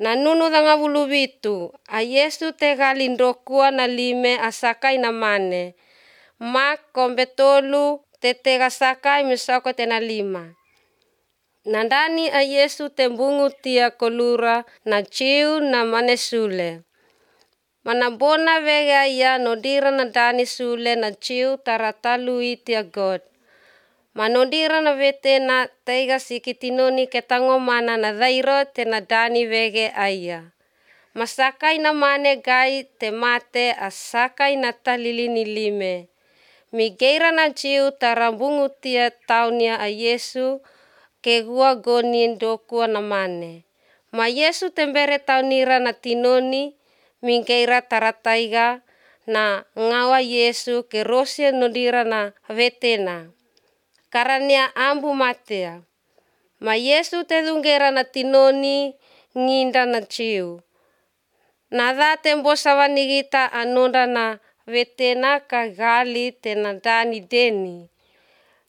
Na nunu danga wulubitu, a Yesu te galindokua na lime asakai na mane. Mak kombetolu te tega sakai misoko te na lima. Nandani a Yesu te bungu tia kolura na ciu na mane sule. Mana bona vege aya nodira na dani sule na ciu taratalu tia God. Manodira na vete na teiga sikitinoni ketango mana na dairo te na dani vege aya. Masakai na mane gai te mate asakai na talilini lime. Migeira na ciu tarambungu tia taunia a Yesu ke gua gonin dokua na mane. Ma Yesu tembere taunira na tinoni migeira tarataiga na ngawa Yesu ke rosia nodira na vetena. Karania ambu matea. Ma Yesu te dungera na tinoni nginda na ciu. Nada tembo sawanigita anonda na vetena kagali te na dani deni.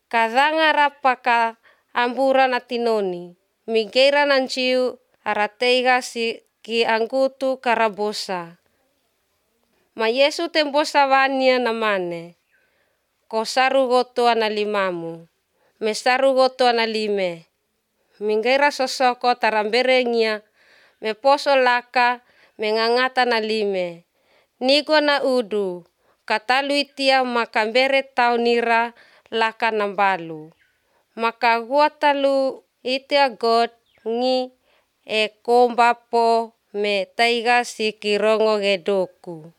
Kadanga rapaka ambura na tinoni. Migeira na ciu arateiga si ki angkutu karabosa. Ma Yesu tembo sawania na mane. Ko saru gotoa na limamu. Mesaru gotoa na lime. Mingeira sosoko taramberengia. Me poso laka mengangata na lime. Nigo na udu. Katalu itia makambere taunira laka nambalu. Maka gua talu itia God ngi e komba po me taiga sikirongo gedoku.